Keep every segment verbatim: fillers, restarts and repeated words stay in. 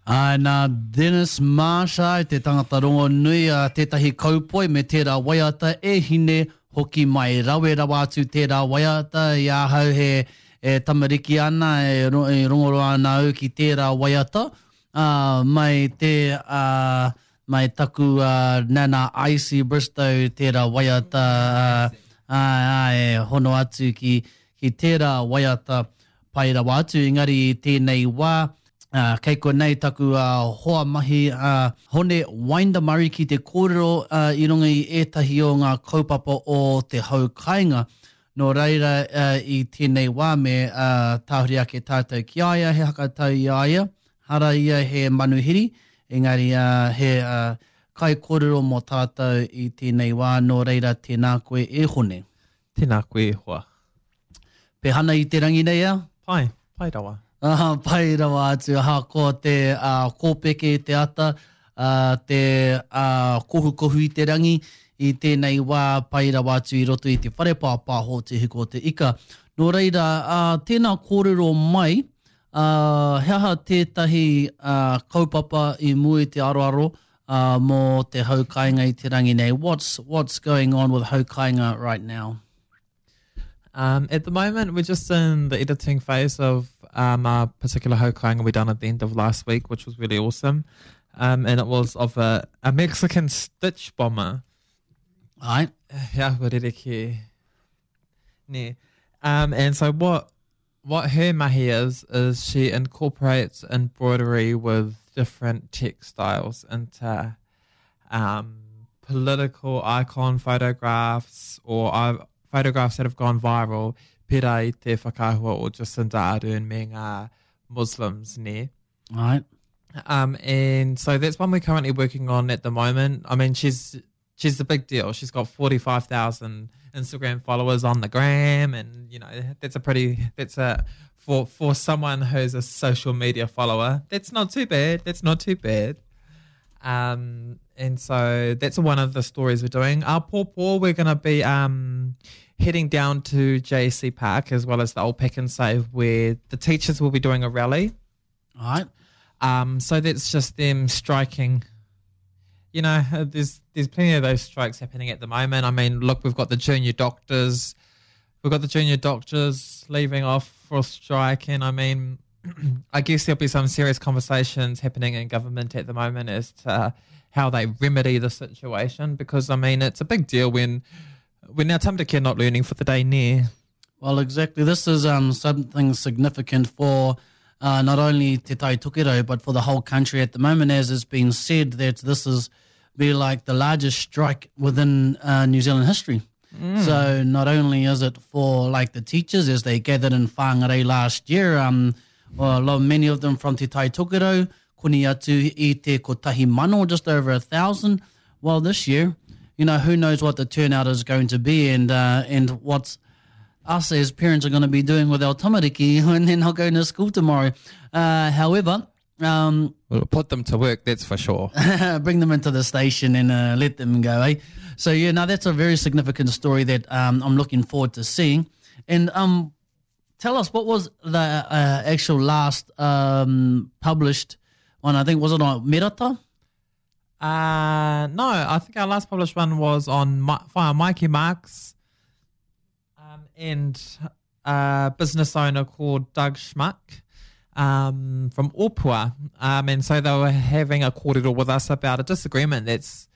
Ai, nā Dennis Marsh ai, te tangata rongo nui a tētahi kaupoi me tērā waiata e hine hoki mai. Rawe rawa atu tērā waiata i ahau he e tamariki ana, e, ro, e rongoro ana au ki tērā waiata. Uh, mai te uh, mai taku uh, nana Icy Bristow tērā waiata uh, ai, ai, e hono atu ki, ki tērā waiata pai rawa atu. Engari i tēnei wā, Uh, kei konei taku uh, hoa mahi uh, Hone Windamurray ki te kōrero uh, i runga i ētahi o ngā kaupapa o te hau kāinga. Nō reira uh, i tēnei wā me uh, tāhuri ake tātou ki a ia, he hakatau i a ia. Hara ia he manuhiri, engari uh, he uh, kai kōrero mō tātou i tēnei wā. Nō reira tēnā koe e Hone. Tēnā koe e hoa. Pehana i te rangi nei a? Pai, pai rawa. Uh, pai rawa atu, ahakoa te uh, kōpeke te ata, uh, te uh, kohukohu i te rangi, i tēnei wā pai rawa atu i roto i te whare pāpāho te hiko o te ika. Nō reira, uh, tēnā kōrero mai, uh, he aha tētahi uh, kaupapa i mua i te aroaro uh, mō te haukainga i te rangi nei? What's, what's going on with haukainga right now? Um, at the moment, we're just in the editing phase of um, a particular haukainga we done at the end of last week, which was really awesome. Um, and it was of a, a Mexican stitch bomber. Right. Yeah, ne. Um, and so what what her mahi is, is she incorporates embroidery with different textiles into um, political icon photographs or uh, photographs that have gone viral, pera i te whakahua o Jacinda Ardern me ngā Muslims, ne? Right. Um, and so that's one we're currently working on at the moment. I mean, she's she's the big deal. She's got forty-five thousand Instagram followers on the gram, and you know, that's a pretty, that's a, for, for someone who's a social media follower, that's not too bad. That's not too bad. Um, and so that's one of the stories we're doing. Our poor, poor, we're gonna be um, heading down to J C Park as well as the old Pack and Save, where the teachers will be doing a rally. All right. Um, so that's just them striking. You know, there's there's plenty of those strikes happening at the moment. I mean, look, we've got the junior doctors. We've got the junior doctors leaving off for a strike. And I mean, I guess there'll be some serious conversations happening in government at the moment as to how they remedy the situation, because, I mean, it's a big deal when, when our tamariki are not learning for the day near. Well, exactly. This is um, something significant for uh, not only Te Tai Tokerau, but for the whole country at the moment, as it's been said that this is be like the largest strike within uh, New Zealand history. Mm. So not only is it for like the teachers as they gathered in Whangarei last year, um, well, a lot, many of them from Te Tai Tokerau, koni atu i te kotahi mano, just over a thousand. Well, this year, you know, who knows what the turnout is going to be, and uh, and what us as parents are gonna be doing with our tamariki when they're not going to school tomorrow. Uh, however, um, we'll put them to work, that's for sure. Bring them into the station and uh, let them go, eh? So, yeah, now that's a very significant story that um, I'm looking forward to seeing. And um, tell us, what was the uh, actual last um, published one? I think, was it on Merata? Uh, no, I think our last published one was on Mi-, via Mikey Marks um, and a business owner called Doug Schmuck um, from Opua. Um, and so they were having a kōrero with us about a disagreement that's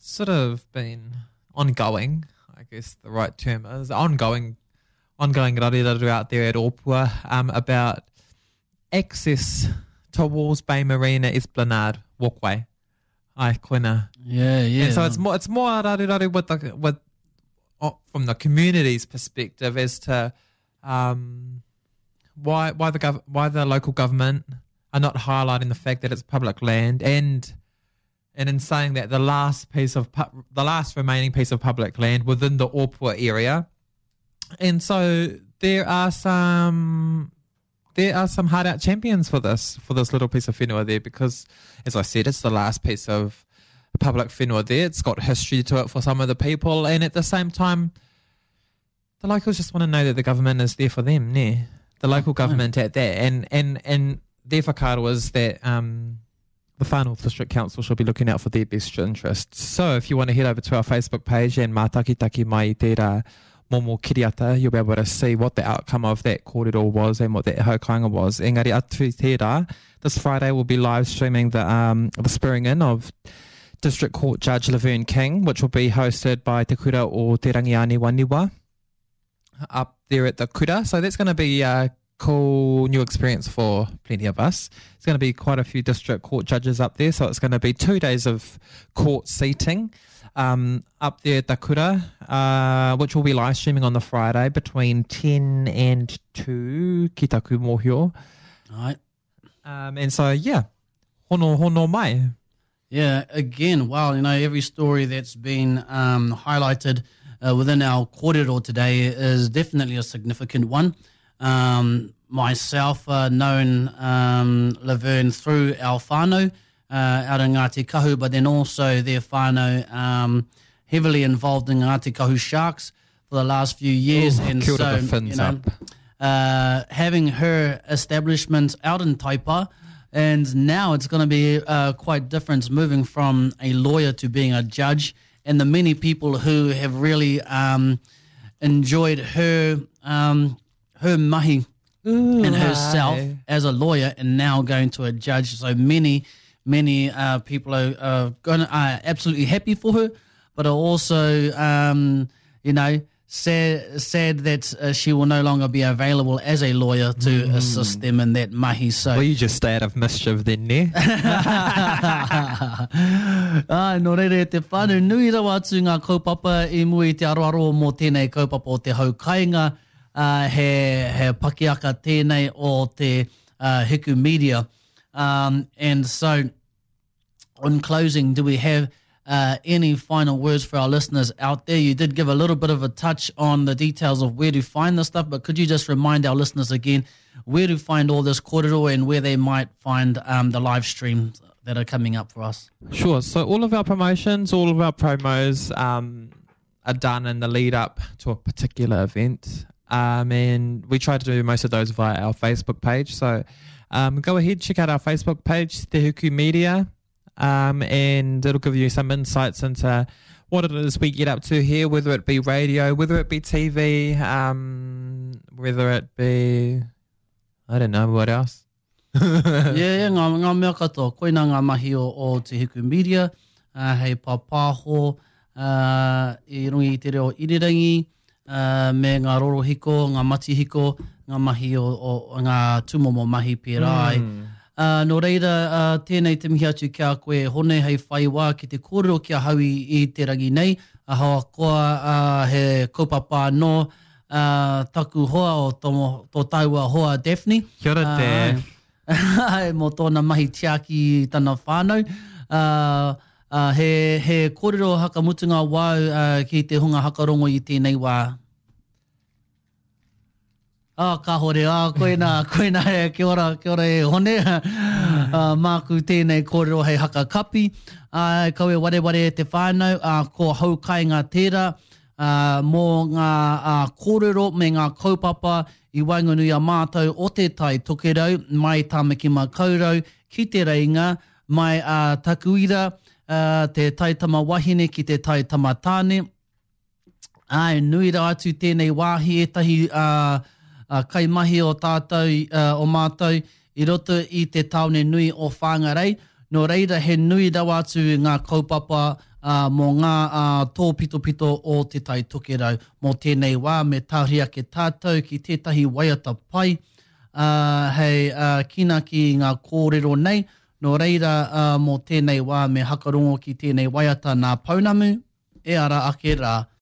sort of been ongoing, I guess the right term is, ongoing, ongoing rariraru out there at Opua um, about access to Walls Bay Marina Esplanade walkway. Ai, koina. Yeah, yeah. And so it's more, it's more rariraru with the, with, oh, from the community's perspective as to um, why, why the gov-, why the local government are not highlighting the fact that it's public land, and, and in saying that the last piece of pu-, the last remaining piece of public land within the Opua area. And so there are some, there are some hard out champions for this, for this little piece of whenua there, because as I said, it's the last piece of public whenua there. It's got history to it for some of the people, and at the same time, the locals just wanna know that the government is there for them, yeah. The local government at that, and, and, and their whakaaro is that um, the Far North District Council should be looking out for their best interests. So if you want to head over to our Facebook page and mātakitaki mai i tērā momo kiriata, you'll be able to see what the outcome of that kōrero was and what that haukainga was. Engari atu i tērā, this Friday we'll be live streaming the, um, the swearing in of District Court Judge Laverne King, which will be hosted by Te Kura o Te Rangianiwaniwa up there at the kura. So that's going to be a cool new experience for plenty of us. It's going to be quite a few district court judges up there. So it's going to be two days of court seating um, up there at the kura, uh, which will be live streaming on the Friday between ten and two, ki taku mōhio. Right. Um, and so, yeah, hono hono mai. Yeah, again, wow, you know, every story that's been um, highlighted uh, within our kōrero today is definitely a significant one. Um, myself, uh, known um, Laverne through our whānau, uh, out in Ngāti Kahu, but then also their whānau um, heavily involved in Ngāti Kahu Sharks for the last few years. Ooh, and kia ora so, the fins you know, up. uh, having her establishment out in Taipa, and now it's going to be uh, quite different moving from a lawyer to being a judge, and the many people who have really um, enjoyed her um, her mahi Ooh, and herself aye. as a lawyer, and now going to a judge. So many, many uh, people are, are going are absolutely happy for her, but are also, um, you know, sad sad that uh, she will no longer be available as a lawyer to assist them in that mahi. So. Well, you just stay out of mischief then, ne? Ai, nō reira e te whānau, nui rawa atu ngā kaupapa i mua i te aroaro mō tēnei kaupapa o te haukainga, uh, he, he pakiaka tēnei o te uh, Hiku Media. Um, and so, on closing, do we have uh, any final words for our listeners out there? You did give a little bit of a touch on the details of where to find the stuff, but could you just remind our listeners again where to find all this kōrero and where they might find um, the live streams that are coming up for us? Sure. So all of our promotions, all of our promos um, are done in the lead up to a particular event. Um, and we try to do most of those via our Facebook page. So um, go ahead, check out our Facebook page, Te Hiku Media, um, and it'll give you some insights into what it is we get up to here, whether it be radio, whether it be T V, um, whether it be, I don't know, what else. yeah, yeah, ngā, ngā mea katoa. Koina ngā mahi o, o Te Hiku Media, uh, hei pāpāho, uh, i runga i te reo irirangi, uh, me ngā rorohiko, ngā matihiko, ngā mahi o, o, o ngā tūmomo mahi pērā ai. Mm. Uh, nō reira, uh, tēnei te mihi atu ki a koe Hone hei whai wā ki te kōrero ki ahau i, i te rangi nei. Ahakoa uh, he kaupapa anō uh, taku hoa o tō, tō taua hoa Daphne. Kia ora, Uh, Daph. Ai, mō tōna mahi tiaki i tana whānau. Uh, uh, he, he kōrero hakamutunga wau uh, ki te hunga hakarongo i tēnei wā. Ah, kāhore, ah, koina, koina, e, kia ora, kia ora e Hone. Uh, māku tēnei kōrero hei haka kapi. Uh, kawe wareware e te whānau, uh, ko haukainga tērā, uh, mō ngā uh, kōrero me ngā kaupapa i waenganui a mātou o te Tai Tokerau, mai Tāmaki Makaurau, ki te Reinga, mai a uh, Takuira, uh, te taitama wahine ki te taitama tāne. Ai, nui rā atu tēnei wāhi ētahi uh, uh, kaimahi o tātou, uh, o mātou i roto i te tāone nui o Whangarei. Nō reira he nui rawa atu ngā kaupapa uh, mō ngā uh, tōpitopito o te Tai Tokerau. Mō tēnei wā me tāhuri ake tātou ki tētahi waiata pai uh, hei uh, kinaki i ngā kōrero nei. Nō reira uh, mō tēnei wā me hakarongo ki tēnei waiata nā Pounamu e ara ake rā.